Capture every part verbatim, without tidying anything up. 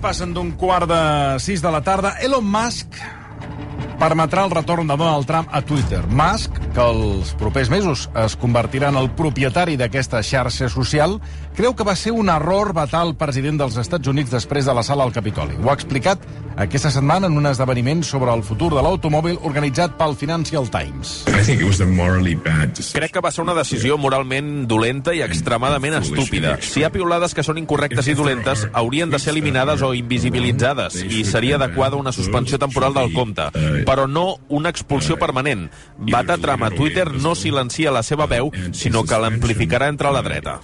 passen d'un quart de sis de la tarda. Elon Musk permetrà el retorn de Donald Trump a Twitter. Musk, que els propers mesos es convertirà en el propietari d'aquesta xarxa social, creu que va ser un error vetar el president dels Estats Units després de la sala al Capitoli. Ho ha explicat aquesta setmana en un esdeveniment sobre el futur de l'automòbil organitzat pel Financial Times. Crec que va ser una decisió moralment dolenta i extremadament estúpida. Si hi ha piulades que són incorrectes i dolentes, haurien de ser eliminades o invisibilitzades, i seria adequada una suspensió temporal del compte, però no una expulsió permanent. Vetar Trump a Twitter no silencia la seva veu, sinó que l'amplificarà entre la dreta.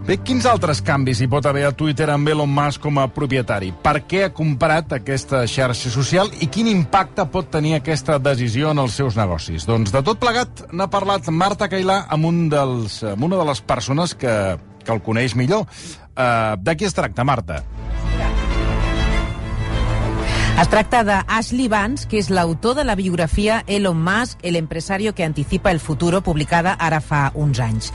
Bé, quins altres canvis hi pot haver a Twitter amb Elon Musk com a propietari? Per què ha comprat aquesta xarxa social i quin impacte pot tenir aquesta decisió en els seus negocis? Doncs de tot plegat n'ha parlat Marta Cailà amb, un dels, amb una de les persones que, que el coneix millor. Uh, de qui es tracta, Marta? Es tracta de Ashley Vance, que és l'autor de la biografia Elon Musk, el empresario que anticipa el futuro, publicada ara fa uns anys.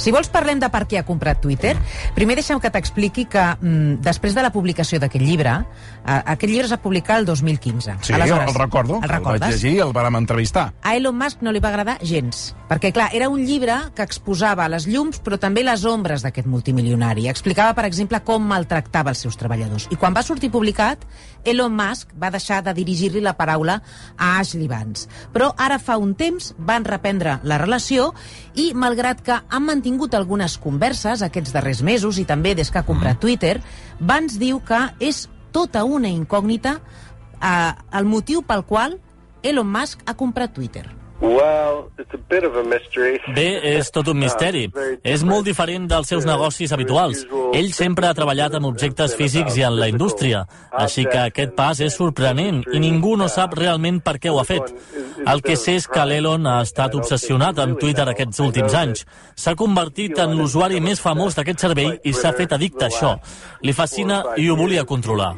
Si vols parlem de per què ha comprat Twitter, primer deixa'm que t'expliqui que mm, després de la publicació d'aquest llibre, eh, aquest llibre es va publicar el dos mil quinze. Sí, Aleshores, el recordo, el, el vaig llegir i el vàrem entrevistar. A Elon Musk no li va agradar gens, perquè clar, era un llibre que exposava les llums però també les ombres d'aquest multimilionari. Explicava, per exemple, com maltractava els seus treballadors. I quan va sortir publicat, Elon Musk va deixar de dirigir-li la paraula a Ashley Vance. Però ara fa un temps van reprendre la relació i, malgrat que han mantingut algunes converses aquests darrers mesos i també des que ha comprat Twitter, Vance diu que és tota una incògnita eh, el motiu pel qual Elon Musk ha comprat Twitter. Well, it's a bit of a mystery. Bé, és tot un misteri. És molt diferent dels seus negocis habituals. Ell sempre ha treballat amb objectes físics i en la indústria, així que aquest pas és sorprenent i ningú no sap realment per què ho ha fet. El que sé és que l'Elon ha estat obsessionat amb Twitter aquests últims anys. S'ha convertit en l'usuari més famós d'aquest servei i s'ha fet addicte a això. Li fascina i ho volia controlar.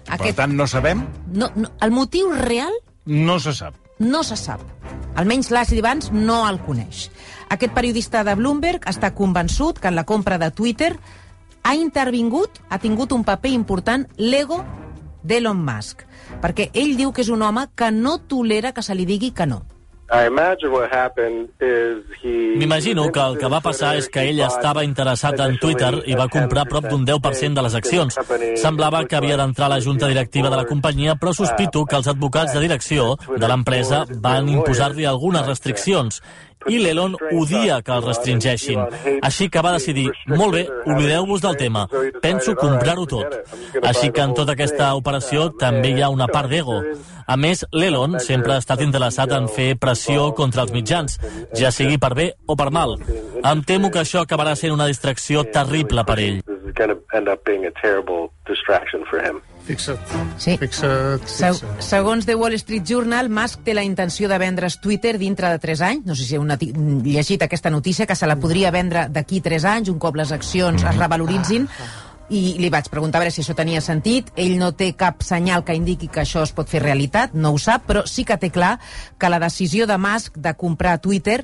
Aquest... Per tant, no sabem? No, no, el motiu real... No se sap. No se sap. Almenys l'Ashley Vance no el coneix. Aquest periodista de Bloomberg està convençut que en la compra de Twitter ha intervingut, ha tingut un paper important l'ego d'Elon Musk, perquè ell diu que és un home que no tolera que se li digui que no. M'imagino que el que va passar és que ell estava interessat en Twitter i va comprar prop d'un deu per cent de les accions. Semblava que havia d'entrar a la junta directiva de la companyia, però sospito que els advocats de direcció de l'empresa van imposar-li algunes restriccions. I l'Elon odia que el restringeixin. Així que va decidir, molt bé, oblideu-vos del tema, penso comprar-ho tot. Així que en tota aquesta operació també hi ha una part d'ego. A més, l'Elon sempre ha estat interessat en fer pressió contra els mitjans, ja sigui per bé o per mal. Em temo que això acabarà sent una distracció terrible per ell. Fixa't. Sí. Fixa't, fixa't. Se segons The Wall Street Journal, Musk té la intenció de vendre's Twitter dintre de tres anys. No sé si heu llegit aquesta notícia, que se la podria vendre d'aquí tres anys, un cop les accions es revaloritzin. I li vaig preguntar a veure si això tenia sentit. Ell no té cap senyal que indiqui que això es pot fer realitat, no ho sap, però sí que té clar que la decisió de Musk de comprar Twitter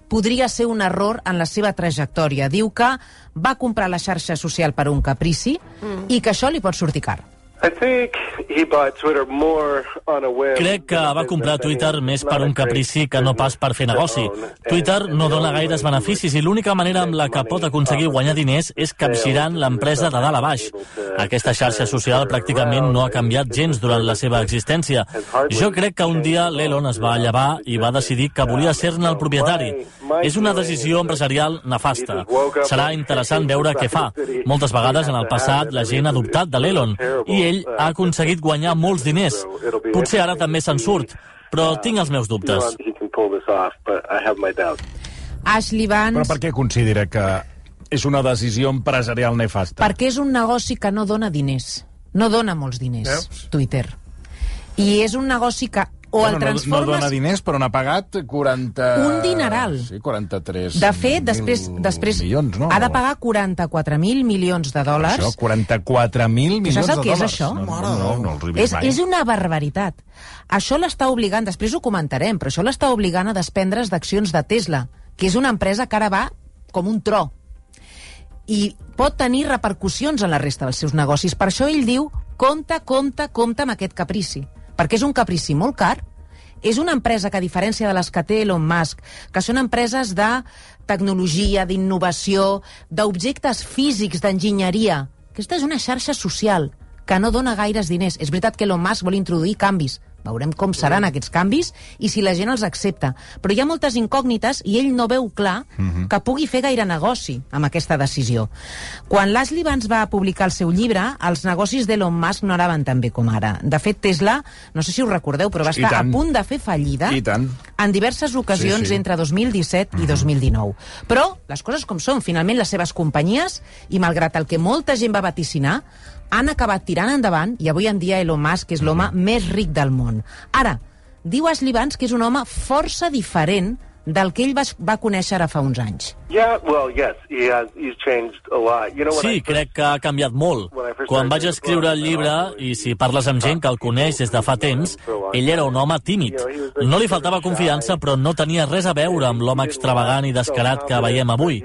podria ser un error en la seva trajectòria. Diu que va comprar la xarxa social per un caprici mm. i que això li pot sortir car. Crec que va comprar Twitter més per un caprici que no pas per fer negoci. Twitter no dona gaires beneficis i l'única manera amb la que pot aconseguir guanyar diners és capgirant l'empresa de dalt a baix. Aquesta xarxa social pràcticament no ha canviat gens durant la seva existència. Jo crec que un dia l'Elon es va llevar i va decidir que volia ser-ne el propietari. És una decisió empresarial nefasta. Serà interessant veure què fa. Moltes vegades en el passat la gent ha dubtat de l'Elon i ell ha aconseguit guanyar molts diners. Potser ara també se'n surt, però tinc els meus dubtes. Ashley Vance... Però per què considera que és una decisió empresarial nefasta? Perquè és un negoci que no dona diners. No dona molts diners, Veus? Twitter. I és un negoci que o bueno, el transformes... No, no dona diners, però n'ha pagat quaranta... Un dineral. Sí, quaranta-tres de fet, després, després milions, no? Ha de pagar quaranta-quatre mil milions de dòlars. Això, quaranta-quatre mil milions de dòlars. Saps el que és això? No, no, no, no els he vist és, mai. És una barbaritat. Això l'està obligant, després ho comentarem, però això l'està obligant a desprendre's d'accions de Tesla, que és una empresa que ara va com un tro i pot tenir repercussions en la resta dels seus negocis. Per això ell diu, compte, compte, compte amb aquest caprici, perquè és un caprici molt car. És una empresa que, a diferència de les que té Elon Musk, que són empreses de tecnologia, d'innovació, d'objectes físics, d'enginyeria, aquesta és una xarxa social que no dona gaires diners. És veritat que Elon Musk vol introduir canvis. Veurem com seran aquests canvis i si la gent els accepta. Però hi ha moltes incògnites i ell no veu clar uh-huh. que pugui fer gaire negoci amb aquesta decisió. Quan l'Ashley Vance va publicar el seu llibre, els negocis d'Elon Musk no anaven tan bé com ara. De fet, Tesla, no sé si us recordeu, però va estar a punt de fer fallida en diverses ocasions sí, sí. entre dos mil disset uh-huh. i dos mil dinou. Però les coses com són, finalment les seves companyies, i malgrat el que molta gent va vaticinar, han acabat tirant endavant i avui en dia Elon Musk és l'home més ric del món. Ara, diu Ashley Vance que és un home força diferent del que ell va, va conèixer ara fa uns anys. Yeah, well, yes, he has, he's changed a lot. You know, sí, crec que ha canviat molt. Quan vaig escriure el llibre, i si parles amb gent que el coneix des de fa temps, ell era un home tímid. No li faltava confiança, però no tenia res a veure amb l'home extravagant i descarat que veiem avui.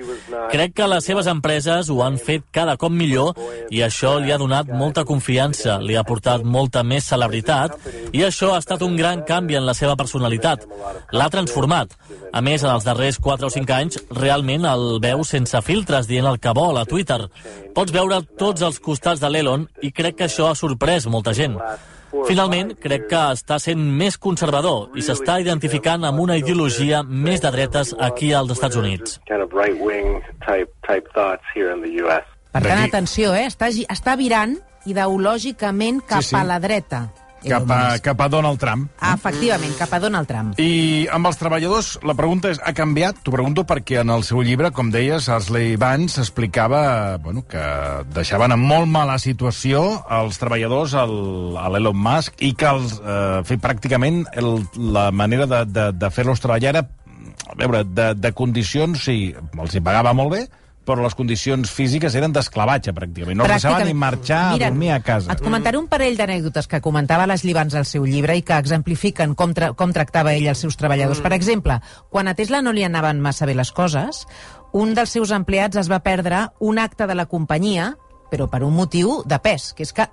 Crec que les seves empreses ho han fet cada cop millor i això li ha donat molta confiança, li ha portat molta més celebritat i això ha estat un gran canvi en la seva personalitat. L'ha transformat. A més, en els darrers quatre o cinc anys, realment el veu sense filtres, dient el que vol a Twitter. Pots veure tots els costats de l'Elon i crec que això ha sorprès molta gent. Finalment, crec que està sent més conservador i s'està identificant amb una ideologia més de dretes aquí als Estats Units. Per tant, atenció, eh? està, està virant ideològicament cap sí, sí. a la dreta. Cap a, cap a Donald Trump. Ah, efectivament, cap a Donald Trump. I amb els treballadors, la pregunta és, ha canviat? T'ho pregunto perquè en el seu llibre, com deies, Ashley Vance explicava bueno, que deixaven en molt mala situació els treballadors a l'Elon Musk i que els, eh, fer pràcticament el, la manera de, de, de fer-los treballar era, a veure, de, de condicions, sí, els hi pagava molt bé, però les condicions físiques eren d'esclavatge, pràcticament. No els deixaven ni marxar Mira, a dormir a casa. Et comentaré un parell d'anècdotes que comentava l'Ashley Vance al seu llibre i que exemplifiquen com, tra com tractava ell els seus treballadors. Per exemple, quan a Tesla no li anaven massa bé les coses, un dels seus empleats es va perdre un acte de la companyia, però per un motiu de pes, que és que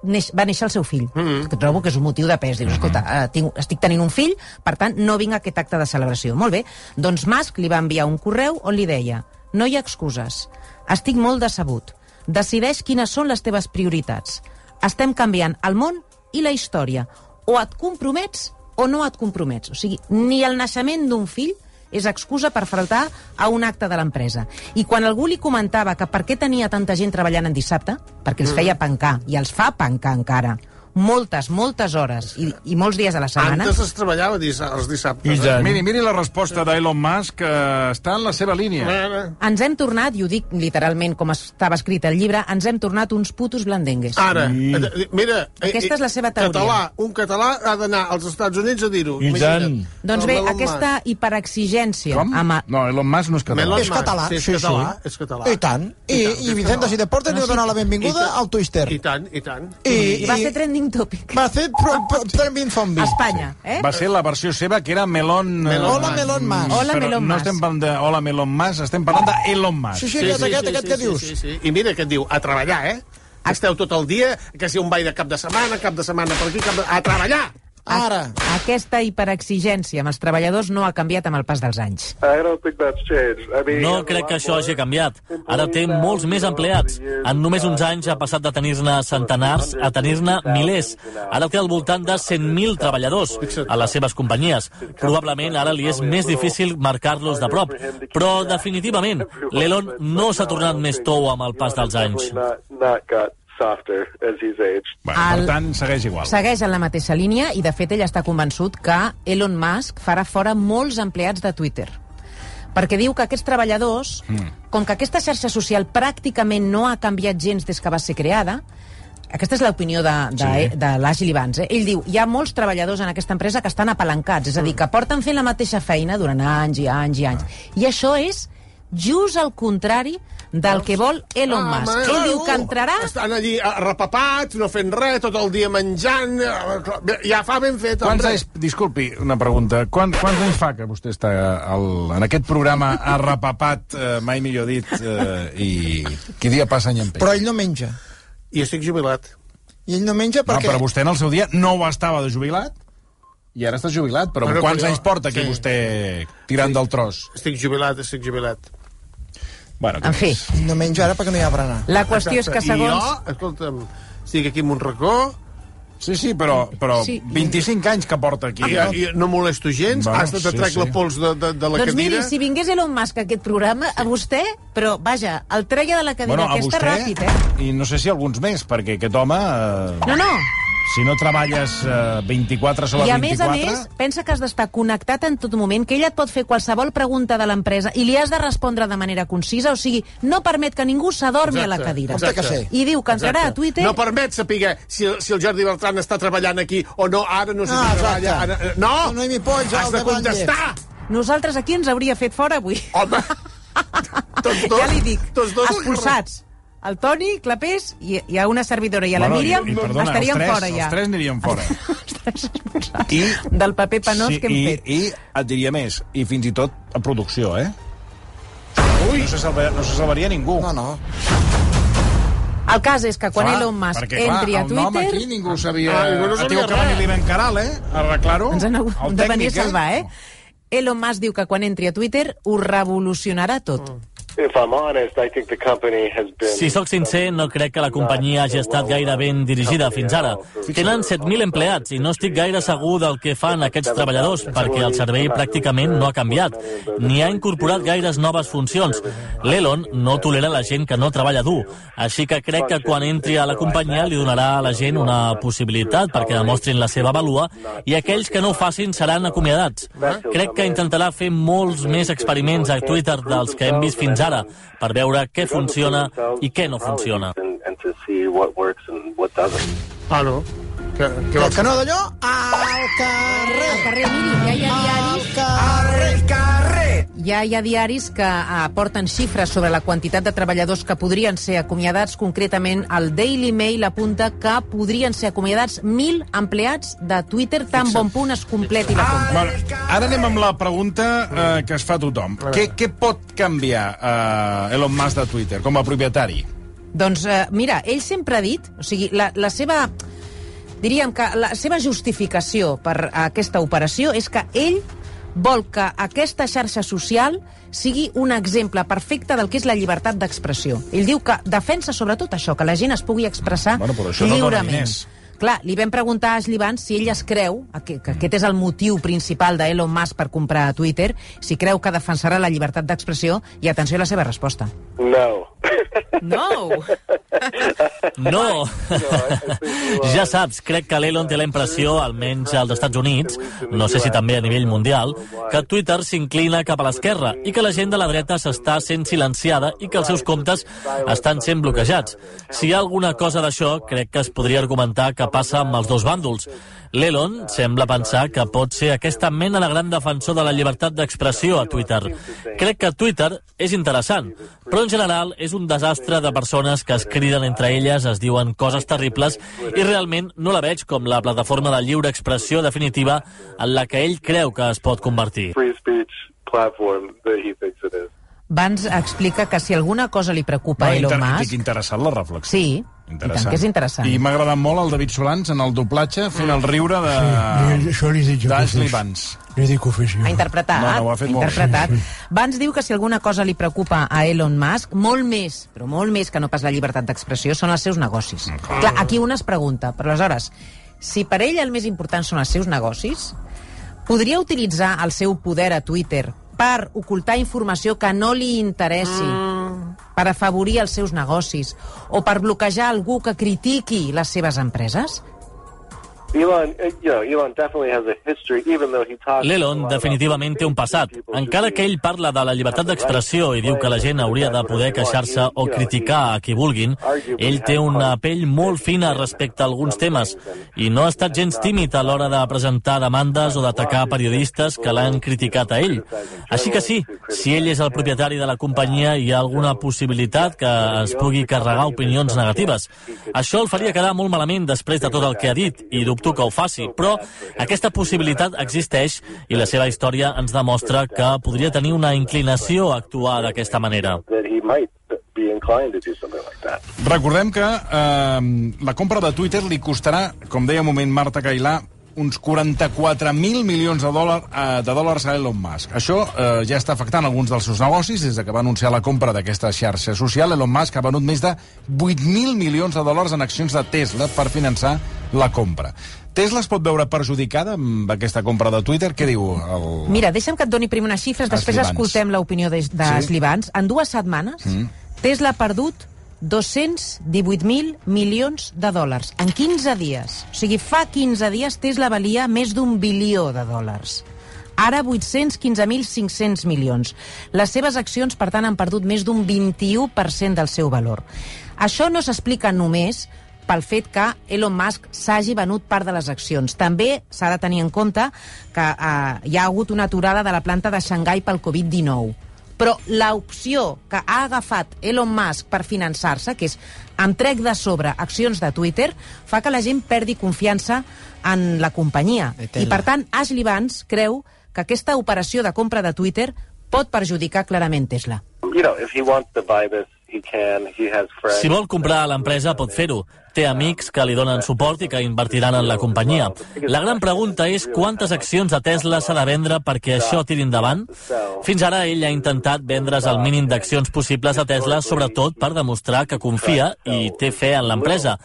neix, va néixer el seu fill. Mm-hmm. Que trobo que és un motiu de pes. Dius, escolta, uh, tinc, estic tenint un fill, per tant, no vinc a aquest acte de celebració. Molt bé. Doncs Musk li va enviar un correu on li deia: no hi ha excuses. Estic molt decebut. Decideix quines són les teves prioritats. Estem canviant el món i la història. O et compromets o no et compromets. O sigui, ni el naixement d'un fill és excusa per faltar a un acte de l'empresa. I quan algú li comentava que per què tenia tanta gent treballant en dissabte, perquè els feia pencar, i els fa pencar encara, moltes, moltes hores i, i molts dies a la setmana. Antes es treballava dis els dissabtes. Eh? Miri, miri la resposta d'Elon Musk, que està en la seva línia. Ens hem tornat, i ho dic literalment com estava escrit al llibre, ens hem tornat uns putos blandengues. Ara, I... mira... Aquesta és la seva teoria. Català, un català ha d'anar als Estats Units a dir-ho. I tant. Doncs bé, aquesta hiperexigència... Com? Amb... No, Elon Musk no és català. És català, sí, és català. És català. I tant. I, i Vicente Sideportes li va donar la benvinguda al Twister. I tant, i tant. I va ser trending topic. Va ser trending zombie. Espanya, eh? Va ser la versió seva, que era Melon... Hola, Melon Mas. Hola, Melon Mas. No estem parlant de Hola, Melon Mas, estem parlant d'Elon Musk. Sí, sí, aquest, aquest, aquest que dius. Sí, sí. I mira què et diu, a treballar, eh? Esteu tot el dia, que si un ball de cap de setmana, cap de setmana per aquí, cap de... a treballar! Ara. Aquesta hiperexigència amb els treballadors no ha canviat amb el pas dels anys. No crec que això hagi canviat. Ara té molts més empleats. En només uns anys ha passat de tenir-ne centenars a tenir-ne milers. Ara té al voltant de cent mil treballadors a les seves companyies. Probablement ara li és més difícil marcar-los de prop. Però definitivament, l'Elon no s'ha tornat més tou amb el pas dels anys. Softer as he's aged. Bueno, per tant, segueix igual. Segueix en la mateixa línia i, de fet, ell està convençut que Elon Musk farà fora molts empleats de Twitter. Perquè diu que aquests treballadors, mm. com que aquesta xarxa social pràcticament no ha canviat gens des que va ser creada, aquesta és l'opinió de, de, sí. de l'Ashley Vance. Eh? Ell diu, hi ha molts treballadors en aquesta empresa que estan apalancats, és a dir, que porten fent la mateixa feina durant anys i anys i anys. I això és just el contrari del que vol Elon Ah, Musk. home, Ell diu claro. que entrarà... Estan allí arrepapats, no fent res, tot el dia menjant... Ja fa ben fet, Quants hombre. anys, disculpi, una pregunta. Quant, quants anys fa que vostè està al, en aquest programa arrepapat, eh, mai millor dit, eh, i qui dia passa any en peix? Però ell no menja. I estic jubilat. I ell no menja No, perquè... però vostè en el seu dia no ho estava de jubilat i ara està jubilat. Però Bueno, quants però- anys porta aquí sí. vostè tirant Sí. del tros? Estic jubilat, estic jubilat. Bueno, En fi, Ell no menja ara perquè no hi ha berenar. la qüestió és que I segons... jo, escolta'm, estic aquí en un racó, Sí, sí, però, però Sí. vint-i-cinc anys que porta aquí. i, i no molesto gens, Bueno, hasta te sí, trec sí. la pols de, de, de la Doncs cadira. miri, si vingués Elon Musk a aquest programa, a vostè, però vaja, el treia de la cadira Bueno, a aquesta vostè, ràpid, eh? i no sé si alguns més, perquè aquest home... Eh, No, no, si no treballes eh, vint-i-quatre sobre i a més vint-i-quatre... a més, pensa que has d'estar connectat en tot moment, que ella et pot fer qualsevol pregunta de l'empresa i li has de respondre de manera concisa, o sigui, no permet que ningú s'adormi a la Exacte, cadira. exacte. que sé. I diu que entrarà Exacte. a Twitter... No permet saber si, si el Jordi Bertran està treballant aquí o no, ara no sé Ah, si treballa... exacte. Ara, no! No hi m'hi pots, Has al de davant contestar! Nosaltres aquí ens hauria fet fora avui. Home! Tots dos, Ja li dic, tots dos expulsats. El Toni, Clapés i, i a una servidora i a la Bueno, Míriam i, i, perdona, estarien els tres, fora ja. Els tres anirien fora. Els tres expulsats I, del paper penós sí, que hem i, fet. I et diria més, i fins i tot a producció, eh? Ui. No se salvaria, no se salvaria ningú. No, no. El cas és que quan Clar, Elon Musk perquè, entri clar, a el nom Twitter... aquí ningú sabia... Ah, ningú no Ha sabia tingut que venir res. l'Ivan Caral, eh? A arreglar-ho. Ens han hagut El de venir a tècnic, salvar, eh? Elon Musk diu que quan entri a Twitter ho revolucionarà tot. If I'm honest, I think the company has been... Si sóc sincer, no crec que la companyia hagi estat gaire ben dirigida fins ara. Tenen set mil empleats i no estic gaire segur del que fan aquests treballadors perquè el servei pràcticament no ha canviat, ni ha incorporat gaires noves funcions. L'Elon no tolera la gent que no treballa dur, així que crec que quan entri a la companyia li donarà a la gent una possibilitat perquè demostrin la seva vàlua i aquells que no ho facin seran acomiadats. Crec que intentarà fer molts més experiments a Twitter dels que hem vist fins ara per veure què funciona i què no funciona. Ah, no? Que, I el canó d'allò, al carrer. Al carrer, miri, ja hi ha diaris... Carrer, carrer. Ja hi ha diaris que aporten xifres sobre la quantitat de treballadors que podrien ser acomiadats. Concretament, el Daily Mail apunta que podrien ser acomiadats mil empleats de Twitter tan bon punt es completi la compra. Bueno, ara anem amb la pregunta eh, que es fa tothom. Què, què pot canviar eh, Elon Musk de Twitter com a propietari? Doncs, eh, mira, ell sempre ha dit... O sigui, la, la seva... Diríem que la seva justificació per aquesta operació és que ell vol que aquesta xarxa social sigui un exemple perfecte del que és la llibertat d'expressió. Ell diu que defensa sobretot això, que la gent es pugui expressar Bueno, però això no dona lliurement. diners. Clar, li vam preguntar a Ashley Vance si ell es creu, que, que aquest és el motiu principal d'Elon Musk per comprar Twitter, si creu que defensarà la llibertat d'expressió, i atenció a la seva resposta. No. No! No! Ja saps, crec que l'Elon té la impressió, almenys als Estats Units, no sé si també a nivell mundial, que Twitter s'inclina cap a l'esquerra i que la gent de la dreta s'està sent silenciada i que els seus comptes estan sent bloquejats. Si hi ha alguna cosa d'això, crec que es podria argumentar que passa amb els dos bàndols. L'Elon sembla pensar que pot ser aquesta mena de gran defensor de la llibertat d'expressió a Twitter. Crec que Twitter és interessant, però en general és un desastre de persones que es criden entre elles, es diuen coses terribles i realment no la veig com la plataforma de lliure expressió definitiva en la que ell creu que es pot convertir. Free speech platform that he thinks it is. Vance explica que si alguna cosa li preocupa a Elon inter- Musk... Estic interessant la reflexió. Sí, i tant que és interessant. I m'ha agradat molt el David Solans en el doblatge fent el riure de... Sí, això li dic jo. d'Ashley Vance. Li dic ofici. Ha interpretat. No, no, ho ha fet molt bé. interpretat. Vance diu que si alguna cosa li preocupa a Elon Musk, molt més, però molt més que no pas la llibertat d'expressió, són els seus negocis. Clar. Clar, aquí un es pregunta, però aleshores, si per ell el més important són els seus negocis, podria utilitzar el seu poder a Twitter per ocultar informació que no li interessi, mm. per afavorir els seus negocis, o per bloquejar algú que critiqui les seves empreses? L'Elon definitivament té un passat. Encara que ell parla de la llibertat d'expressió i diu que la gent hauria de poder queixar-se o criticar a qui vulguin, ell té una pell molt fina respecte a alguns temes i no ha estat gens tímid a l'hora de presentar demandes o d'atacar periodistes que l'han criticat a ell. Així que sí, si ell és el propietari de la companyia, hi ha alguna possibilitat que es pugui carregar opinions negatives. Això el faria quedar molt malament després de tot el que ha dit, i dubto que ho faci, però aquesta possibilitat existeix i la seva història ens demostra que podria tenir una inclinació a actuar d'aquesta manera. Recordem que eh, la compra de Twitter li costarà, com deia un moment Marta Cailà, uns quaranta-quatre mil milions de, dòlar, eh, de dòlars a Elon Musk. Això eh, ja està afectant alguns dels seus negocis. Des que va anunciar la compra d'aquesta xarxa social, Elon Musk ha venut més de vuit mil milions de dòlars en accions de Tesla per finançar la compra. Tesla es pot veure perjudicada amb aquesta compra de Twitter? Què diu el... Mira, deixa'm que et doni primer unes xifres, després Slivans. escoltem l'opinió de, de Sí? Slivans. En dues setmanes, mm. Tesla ha perdut dos-cents divuit mil milions de dòlars en quinze dies. O sigui, fa quinze dies Tesla valia més d'un bilió de dòlars. Ara vuit-cents quinze mil cinc-cents milions. Les seves accions, per tant, han perdut més d'un vint-i-u per cent del seu valor. Això no s'explica només pel fet que Elon Musk s'hagi venut part de les accions. També s'ha de tenir en compte que eh, hi ha hagut una aturada de la planta de Xangai pel covid dinou. Però l'opció que ha agafat Elon Musk per finançar-se, que és em trec de sobre accions de Twitter, fa que la gent perdi confiança en la companyia. I, per tant, Ashley Vance creu que aquesta operació de compra de Twitter pot perjudicar clarament Tesla. You know, if he wants to buy this, he can. He has friends. Si vol comprar l'empresa, pot fer-ho. Té amics que li donen suport i que invertiran en la companyia. La gran pregunta és quantes accions de Tesla s'ha de vendre perquè això tiri endavant? Fins ara ell ha intentat vendre's el mínim d'accions possibles a Tesla, sobretot per demostrar que confia i té fe en l'empresa.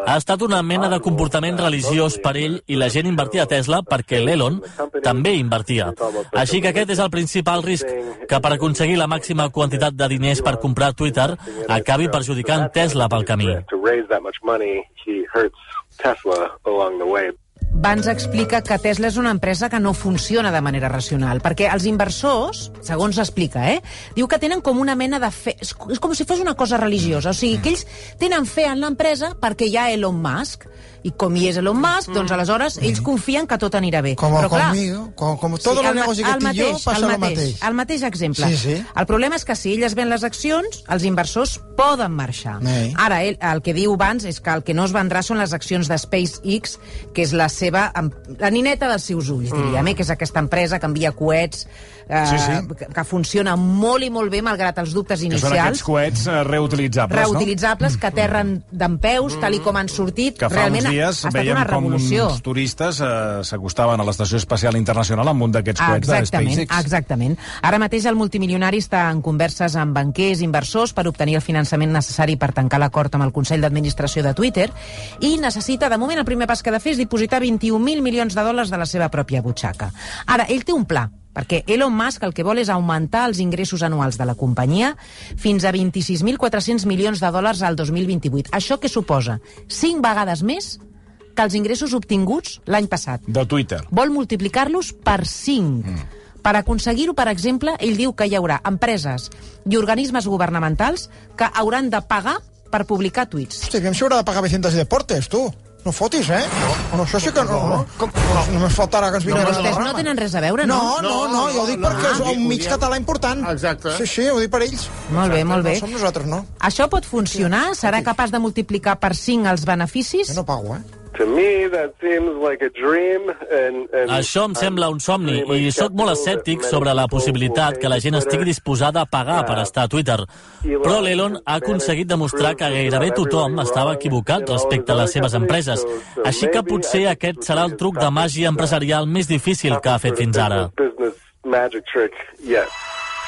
Ha estat una mena de comportament religiós per ell i la gent invertia a Tesla perquè l'Elon també invertia. Així que aquest és el principal risc, que per aconseguir la màxima quantitat de diners per comprar Twitter acabi perjudicant Tesla pel camí. He hurts Tesla along the way. Vance explica que Tesla és una empresa que no funciona de manera racional, perquè els inversors, segons explica, eh, diu que tenen com una mena de fe... És com si fos una cosa religiosa, o sigui, que ells tenen fe en l'empresa perquè hi ha Elon Musk, i com hi és Elon Musk, doncs aleshores ells confien que tot anirà bé. Como Però, clar, conmigo, como, como todo sí, el negoci que tinc jo, passa el mateix. El mateix exemple. Sí, sí. El problema és que si elles ven les accions, els inversors poden marxar. Ei. Ara, ell, el que diu Vance és que el que no es vendrà són les accions de SpaceX, que és la seva... la nineta dels seus ulls, diríem, eh? Que és aquesta empresa que envia coets, eh, Sí, sí. Que, que funciona molt i molt bé, malgrat els dubtes Que inicials. són aquests coets eh, reutilitzables, reutilitzables, que aterren dempeus, tal i com han sortit. Que fa Realment uns dies ha estat veiem una com revolució. uns turistes eh, s'acostaven a l'Estació Espacial Internacional amb un d'aquests coets de Exactament, SpaceX. exactament. Ara mateix el multimilionari està en converses amb banquers, inversors, per obtenir el finançament necessari per tancar l'acord amb el Consell d'Administració de Twitter i necessita, de moment, el primer pas que ha de fer és dipositar vint-i-un mil milions de dòlars de la seva pròpia butxaca. Ara, ell té un pla, perquè Elon Musk el que vol és augmentar els ingressos anuals de la companyia fins a vint-i-sis mil quatre-cents milions de dòlars al dos mil vint-i-vuit. Això què suposa? Cinc vegades més que els ingressos obtinguts l'any passat. De Twitter. Vol multiplicar-los per cinc. Mm. Per aconseguir-ho, per exemple, ell diu que hi haurà empreses i organismes governamentals que hauran de pagar per publicar tuits. Hosti, aviam si haurà de pagar Vecientas i Deportes, tu. No fotis, eh? No, no això sí que no. No, no, no només faltarà que ens vinguin No, a la vostès rama. no tenen res a veure, no? No, no, no, jo ho dic perquè és un mig diem- català important. Exacte. Sí, sí, ho dic per ells. Molt bé, molt bé. No som nosaltres, no. Això pot funcionar? Serà capaç de multiplicar per cinc els beneficis? Jo no pago, eh? To me, that seems like a dream. And, and Això em sembla un somni i sóc molt escèptic sobre la possibilitat que la gent estigui disposada a pagar per estar a Twitter. Però l'Elon ha aconseguit demostrar que gairebé tothom estava equivocat respecte a les seves empreses. Així que potser aquest serà el truc de màgia empresarial més difícil que ha fet fins ara. Business magic trick, yes.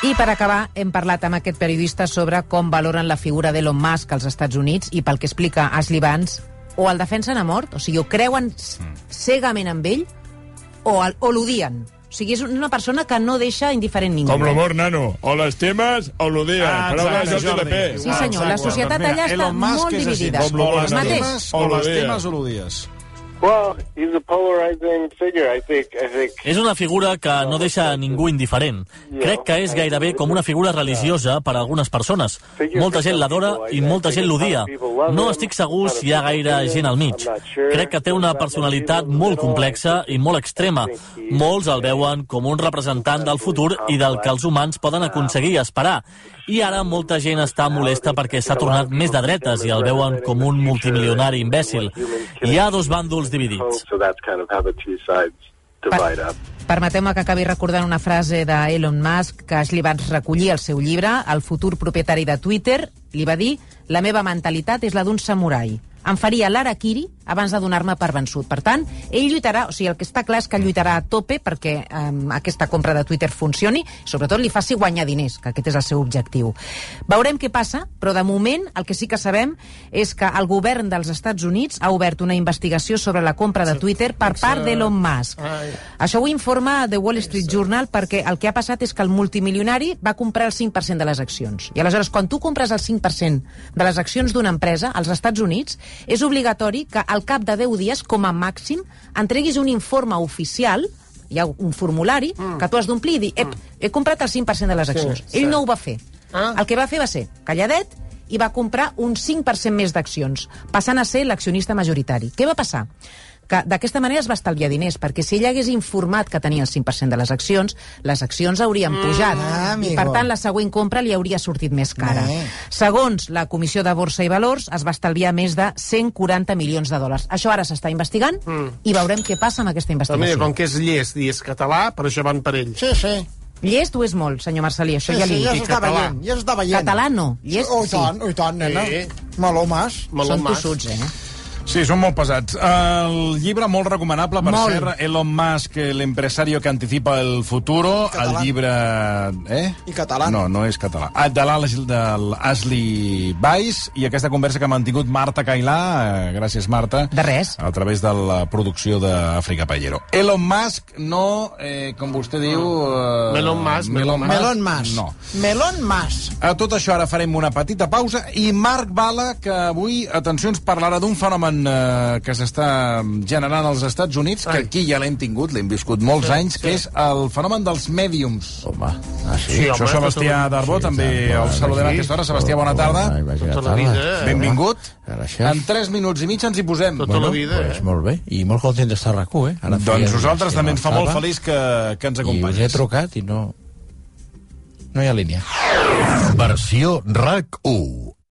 I per acabar, hem parlat amb aquest periodista sobre com valoren la figura d'Elon Musk als Estats Units i pel que explica Ashley Vance, o el defensen a mort, o sigui, o creuen cegament amb ell, o, el, o l'odien. O sigui, és una persona que no deixa indiferent ningú. Com l'amor, nano. O l'estimes o l'odies. Ah, Paraules exacte, de Jordi Jordi. P. Sí, senyor, la societat Doncs mira, allà està Elon Musk molt és així. dividida. O El mateix. l'estimes o O l'odies. l'estimes o l'odies. Well, he's a polarizing figure, I think. I think. És una figura que no deixa a ningú indiferent. Crec que és gairebé com una figura religiosa per a algunes persones. Molta gent l'adora i molta gent l'odia. No estic segur si hi ha gaire gent al mig. Crec que té una personalitat molt complexa i molt extrema. Molts el veuen com un representant del futur i del que els humans poden aconseguir i esperar. I ara molta gent està molesta perquè s'ha tornat més de dretes i el veuen com un multimilionari imbècil. Hi ha dos bàndols dividits. Per, permeteu-me que acabi recordant una frase d'Elon Musk que Ashley Vance recollir al seu llibre. El futur propietari de Twitter li va dir: la meva mentalitat és la d'un samurai. Em faria l'harakiri abans de donar-me per vençut. Per tant, ell lluitarà, o sigui, el que està clar és que lluitarà a tope perquè um, aquesta compra de Twitter funcioni, sobretot li faci guanyar diners, que aquest és el seu objectiu. Veurem què passa, però de moment el que sí que sabem és que el govern dels Estats Units ha obert una investigació sobre la compra de Twitter per part d'Elon Musk. Això ho informa The Wall Street Journal perquè el que ha passat és que el multimilionari va comprar el cinc per cent de les accions. I aleshores, quan tu compres el cinc per cent de les accions d'una empresa als Estats Units, és obligatori que al cap de deu dies, com a màxim, entreguis un informe oficial, hi ha un formulari, mm. que tu has d'omplir i dir, ep, he comprat el cinc per cent de les accions. Sí, Ell sí. no ho va fer. Ah. El que va fer va ser calladet i va comprar un cinc per cent més d'accions, passant a ser l'accionista majoritari. Què va passar? Que d'aquesta manera es va estalviar diners, perquè si ell hagués informat que tenia el cinc per cent de les accions, les accions haurien pujat, mm, i per tant la següent compra li hauria sortit més cara. Mm. Segons la Comissió de Borsa i Valors, es va estalviar més de cent quaranta milions de dòlars. Això ara s'està investigant mm. i veurem què passa amb aquesta investigació. Però mira, com que és llest i és català, per això van per ell. Sí, sí. Llest ho és molt, senyor Marcelí, això sí, ja li sí, ja dic. s'està veient, ja s'està veient. Català no, llest oh, sí. Oh, i tant, oh, i tant, nena. Sí. Meló mas. Meló Són mas. tossuts, eh? Sí, són molt pesats. El llibre molt recomanable, per molt. ser Elon Musk, l'empresario que anticipa el futuro. El llibre... Eh? I català. No, no és català. Ah, de l'Ashley Vance, i aquesta conversa que ha mantingut Marta Cailà, eh, gràcies Marta. De res. A través de la producció d'Àfrica Payero. Elon Musk no, eh, com vostè diu... Eh, Melon Musk. Melon Musk. Melon Musk. No. Melon Musk. A tot això ara farem una petita pausa i Marc Bala, que avui, atenció, ens parlarà d'un fenomen que s'està generant als Estats Units, que aquí ja l'hem tingut, l'hem viscut molts sí, anys, sí. que és el fenomen dels mèdiums. Home, ah, sí. sí Això Sebastià Darbó, sí, també sí, el saludem a aquesta hora. Sebastià, bona tarda. Tota la vida. Benvingut. En tres minuts i mig ens hi posem. Tota la vida. Pues molt bé, i molt content d'estar a RAC u, eh? Ara doncs nosaltres també ens fa molt feliç que, que ens acompanyis. I us he trucat i no... no hi ha línia. Versió RAC u.